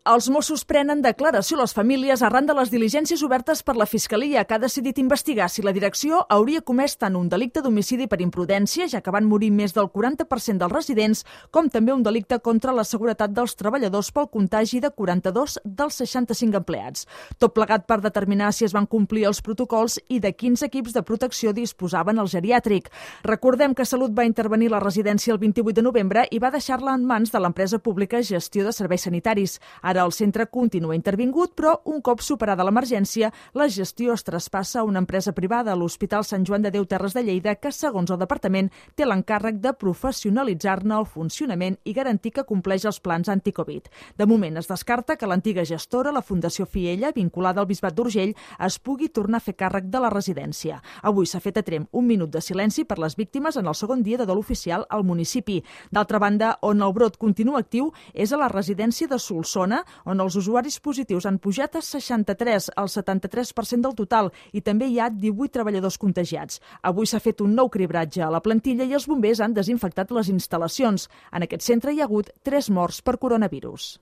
Els Mossos prenen declaració a les famílies arran de les diligències obertes per la Fiscalia, que ha decidit investigar si la direcció hauria comès tant un delicte d'homicidi per imprudència, ja que van morir més del 40% dels residents, com també un delicte contra la seguretat dels treballadors pel contagi de 42 dels 65 empleats. Tot plegat per determinar si es van complir els protocols i de quins equips de protecció disposaven el geriàtric. Recordem que Salut va intervenir la residència el 28 de novembre i va deixar-la en mans de l'empresa pública Gestió de Serveis Sanitaris. Ara el centre continua intervingut, però un cop superada l'emergència, la gestió es traspassa a una empresa privada, l'Hospital Sant Joan de Déu Terres de Lleida, que, segons el departament, té l'encàrrec de professionalitzar-ne el funcionament i garantir que compleix els plans anticovid. De moment es descarta que l'antiga gestora, la Fundació Fiella, vinculada al Bisbat d'Urgell, es pugui tornar a fer càrrec de la residència. Avui s'ha fet a Tremp un minut de silenci per les víctimes en el segon dia de dol oficial al municipi. D'altra banda, on el brot continua actiu és a la residència de Solsona, on els usuaris positius han pujat a 63, el 73% del total, i també hi ha 18 treballadors contagiats. Avui s'ha fet un nou cribratge a la plantilla i els bombers han desinfectat les instal·lacions. En aquest centre hi ha hagut 3 morts per coronavirus.